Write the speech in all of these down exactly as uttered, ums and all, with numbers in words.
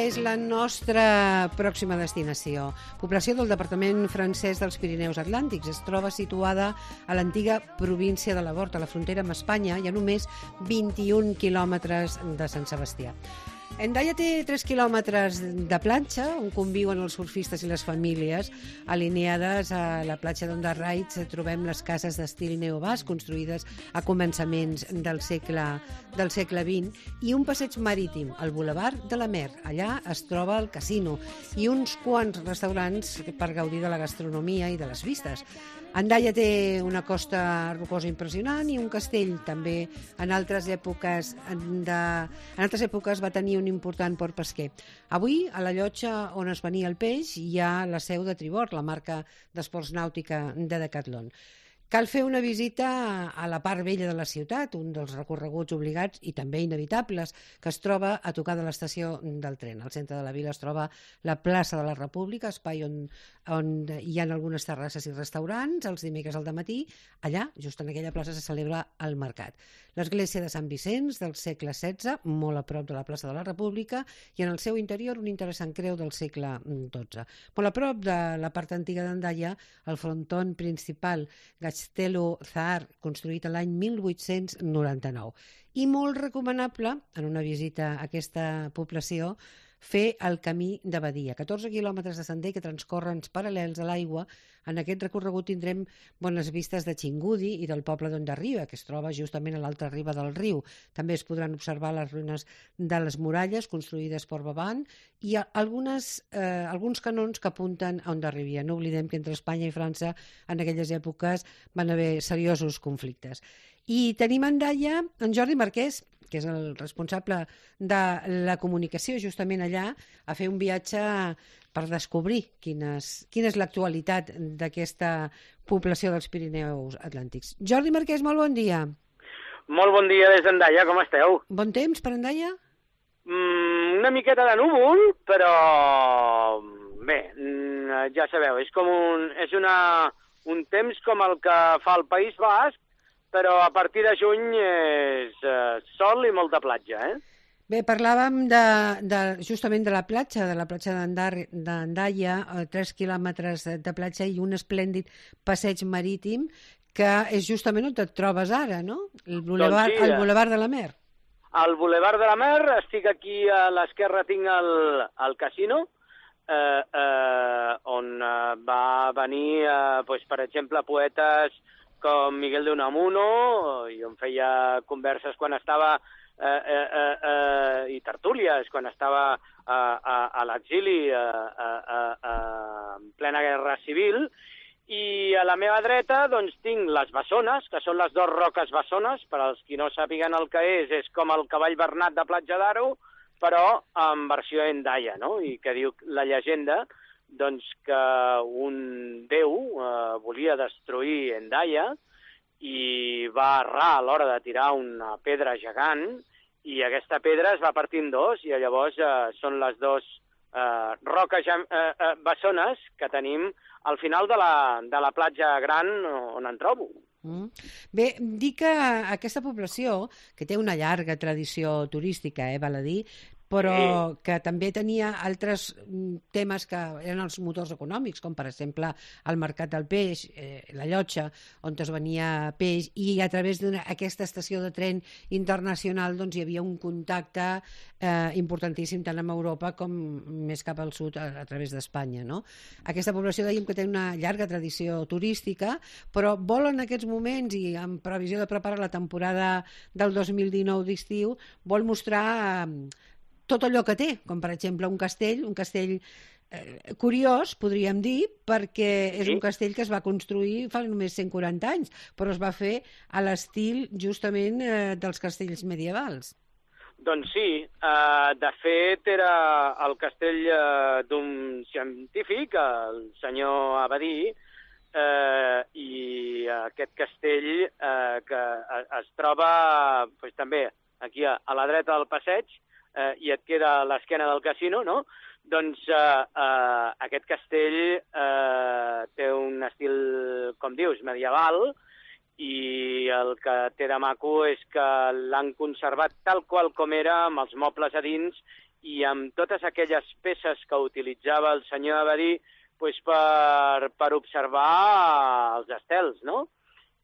és la nostra pròxima destinació. Població del departament francès dels Pirineus Atlàntics. Es troba situada a l'antiga província de l'Hort, a la frontera amb Espanya, i a només vint-i-un quilòmetres de Sant Sebastià. Hendaia té tres quilòmetres de platja, on conviuen els surfistes i les famílies. Alineades a la platja d'Ondarraits trobem les cases d'estil neobasc, construïdes a començaments del segle, del segle vint, i un passeig marítim, el Boulevard de la Mer. Allà es troba el casino i uns quants restaurants per gaudir de la gastronomia i de les vistes. Hendaia té una costa rocosa impressionant i un castell. També en altres èpoques, de, en altres èpoques va tenir un important port pesquer. Avui, a la llotja on es venia el peix, hi ha la seu de Tribord, la marca d'esports nàutica de Decathlon. Cal fer una visita a la part vella de la ciutat, un dels recorreguts obligats i també inevitables, que es troba a tocar de l'estació del tren. Al centre de la vila es troba la plaça de la República, espai on, on hi ha algunes terrasses i restaurants. Els dimecres al dematí, allà, just en aquella plaça, se celebra el mercat. L'església de Sant Vicenç, del segle setze, molt a prop de la plaça de la República, i en el seu interior un interessant creu del segle dotze. Molt a prop de la part antiga d'Hendaia, el frontó principal, Castello Zahar, construït l'any mil vuit-cents noranta-nou. I molt recomanable, en una visita a aquesta població, fer el camí de Badia. catorze quilòmetres de sender que transcorren paral·lels a l'aigua. En aquest recorregut tindrem bones vistes de Xingudi i del poble d'Hondarriba, que es troba justament a l'altra riba del riu. També es podran observar les ruïnes de les muralles construïdes per Vavant i algunes, eh, alguns canons que apunten a Hondarribia. No oblidem que entre Espanya i França en aquelles èpoques van haver seriosos conflictes. I tenim a Hendaia en Jordi Marquès, que és el responsable de la comunicació justament allà, a fer un viatge per descobrir quines, quina és l'actualitat d'aquesta població dels Pirineus Atlàntics. Jordi Marquès, molt bon dia. Molt bon dia des d'Hendaia, com esteu? Bon temps per Hendaia? Mm, una miqueta de núvol, però bé, ja sabeu, és com un, és una, un temps com el que fa el País Basc, però a partir de juny és uh, sol i molta platja, eh? Bé, parlàvem de, de, justament de la platja, de la platja d'Hendaia, tres quilòmetres de platja i un esplèndid passeig marítim, que és justament on et trobes ara, no? El Boulevard, doncs sí, el Boulevard de la Mer. Al Boulevard de la Mer, estic aquí a l'esquerra, tinc el, el casino, eh, eh, on eh, va venir, eh, pues, per exemple, poetes com Miguel de Unamuno, i on feia converses quan estava, eh, eh, eh, eh, i tertúlies, quan estava eh, a, a l'exili, eh, eh, eh, en plena guerra civil, i a la meva dreta doncs, tinc les bessones, que són les dues roques bessones, per als qui no sàpiguen el que és, és com el cavall bernat de Platja d'Aro, però en versió Hendaia, no? I que diu la llegenda doncs que un déu eh, volia destruir Hendaia i va errar a l'hora de tirar una pedra gegant i aquesta pedra es va partir en dos i llavors eh, són les dues eh, roques eh, eh, bessones que tenim al final de la, de la platja gran on em trobo. Mm. Bé, dir que aquesta població, que té una llarga tradició turística, eh, val a dir, però sí, que també tenia altres temes que eren els motors econòmics, com per exemple el mercat del peix, eh, la llotja, on es venia peix, i a través d'aquesta estació de tren internacional doncs, hi havia un contacte eh, importantíssim tant amb Europa com més cap al sud a, a través d'Espanya, no? Aquesta població dèiem que té una llarga tradició turística, però vol en aquests moments, i en previsió de preparar la temporada del dos mil dinou d'estiu, vol mostrar eh, tot allò que té, com per exemple un castell, un castell eh, curiós, podríem dir, perquè és un castell que es va construir fa només cent quaranta anys, però es va fer a l'estil justament eh, dels castells medievals. Doncs sí, eh, de fet era el castell eh, d'un científic, el senyor Abadí, eh, i aquest castell eh, que es troba pues, també aquí a, a la dreta del passeig, eh, i et queda a l'esquena del casino, no? Doncs eh, eh, aquest castell eh, té un estil, com dius, medieval, i el que té de maco és que l'han conservat tal qual com era, amb els mobles a dins i amb totes aquelles peces que utilitzava el senyor Abadí pues, per, per observar els estels, no?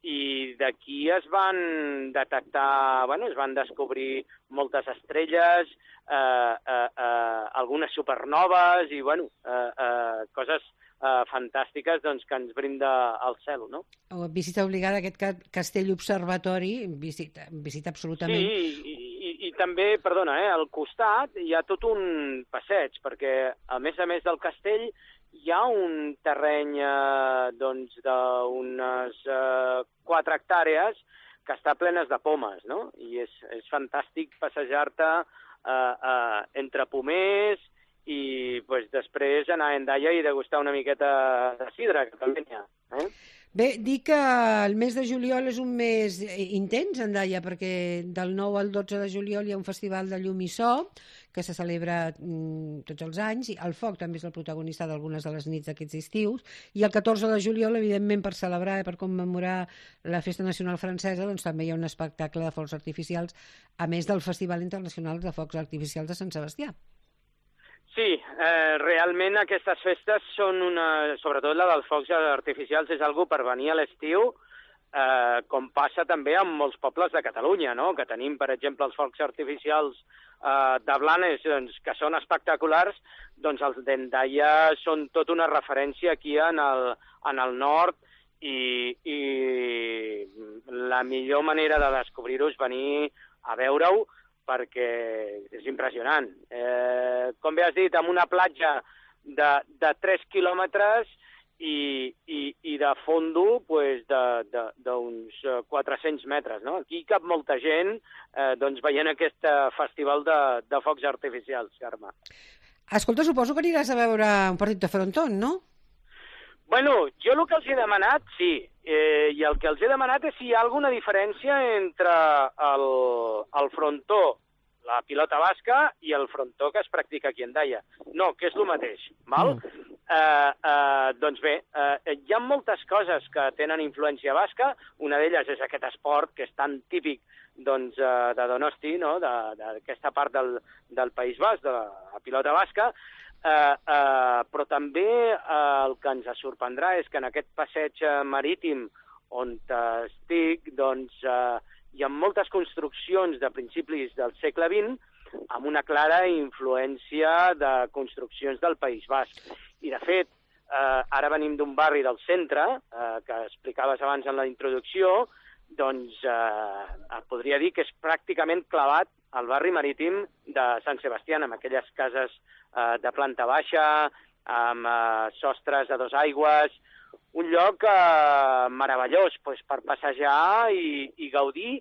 I d'aquí es van detectar, bueno, es van descobrir moltes estrelles, eh, eh, eh, algunes supernoves i, bueno, eh, eh, coses eh, fantàstiques doncs, que ens brinda el cel, no? Visita obligada a aquest castell observatori, visita, visita absolutament. Sí, i, i, i també, perdona, eh, al costat hi ha tot un passeig, perquè a més a més del castell hi ha un terreny eh, doncs, d'unes eh, quatre hectàrees que està plenes de pomes, no? I és, és fantàstic passejar-te eh, eh, entre pomers i pues, després anar a Hendaia i degustar una miqueta de sidra, que també n'hi ha. Eh? Bé, dic que el mes de juliol és un mes intens, Hendaia, perquè del nou al dotze de juliol hi ha un festival de llum i so que se celebra mm, tots els anys, i el foc també és el protagonista d'algunes de les nits d'aquests estius, i el catorze de juliol, evidentment, per celebrar i per commemorar la Festa Nacional Francesa, doncs també hi ha un espectacle de focs artificials, a més del Festival Internacional de Focs Artificials de Sant Sebastià. Sí, eh, realment aquestes festes són una... Sobretot la dels focs artificials és algo per venir a l'estiu, eh, com passa també en molts pobles de Catalunya, no? Que tenim, per exemple, els focs artificials eh, de Blanes, doncs, que són espectaculars, doncs els d'Hendaia són tot una referència aquí en el, en el nord, i, i la millor manera de descobrir-ho és venir a veure-ho, perquè és impressionant. Eh, com bé has dit, amb una platja de, de tres quilòmetres i, i, i de fondo pues, d'uns quatre-cents metres. No? Aquí cap molta gent eh, doncs, veient aquest festival de, de focs artificials, Carme. Escolta, suposo que aniràs a veure un partit de frontón, no? Bueno, jo el que els he demanat, sí, eh, i el que els he demanat és si hi ha alguna diferència entre el, el frontó, la pilota basca, i el frontó que es practica aquí a Hendaia. No, que és el mateix, val? Mm. Eh, eh, doncs bé, eh, hi ha moltes coses que tenen influència basca, una d'elles és aquest esport que és tan típic doncs, eh, de Donosti, no? d'aquesta part del, del País Basc, de la pilota basca. Uh, uh, però també uh, el que ens sorprendrà és que en aquest passeig marítim on estic, doncs, uh, hi ha moltes construccions de principis del segle vint amb una clara influència de construccions del País Basc. I, de fet, uh, ara venim d'un barri del centre, uh, que explicaves abans en la introducció, doncs uh, podria dir que és pràcticament clavat al barri marítim de Sant Sebastià, amb aquelles cases eh, de planta baixa, amb eh, sostres a dos aigües, un lloc eh, meravellós pues, per passejar i, i gaudir,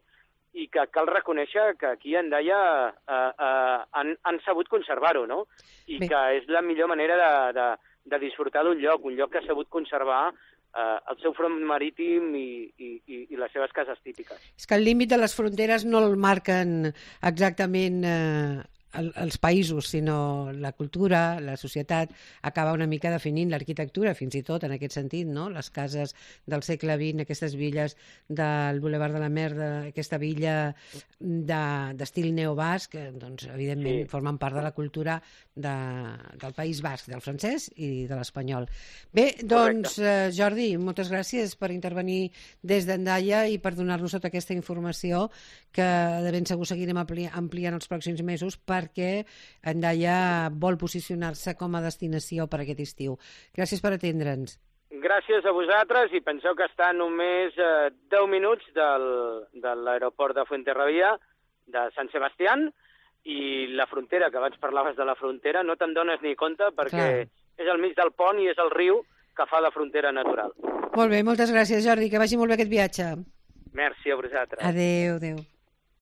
i que cal reconèixer que aquí a Hendaia eh, eh, han, han sabut conservar-ho, no? I Bé. que és la millor manera de, de, de disfrutar d'un lloc, un lloc que ha sabut conservar eh, el seu front marítim i, i, i les seves cases típiques. És que el límit de les fronteres no el marquen exactament eh, els països, sinó la cultura, la societat, acaba una mica definint l'arquitectura, fins i tot en aquest sentit, no? Les cases del segle vint, aquestes villes del Boulevard de la Mer, aquesta villa d'estil de, neobasc, doncs, evidentment, sí. formen part de la cultura de, del País Basc, del francès i de l'espanyol. Bé, doncs, eh, Jordi, moltes gràcies per intervenir des d'Hendaia i per donar-nos tota aquesta informació que de ben segur seguirem ampliant, ampliant els pròxims mesos perquè Hendaia vol posicionar-se com a destinació per aquest estiu. Gràcies per atendre'ns. Gràcies a vosaltres i penseu que està només eh, deu minuts del, de l'aeroport de Fuenterrabía, de Sant Sebastián, i la frontera, que abans parlaves de la frontera, no te'n dones ni compte perquè Clar. és al mig del pont i és el riu que fa la frontera natural. Molt bé, moltes gràcies, Jordi, que vagi molt bé aquest viatge. Merci a vosaltres. Adéu, adéu.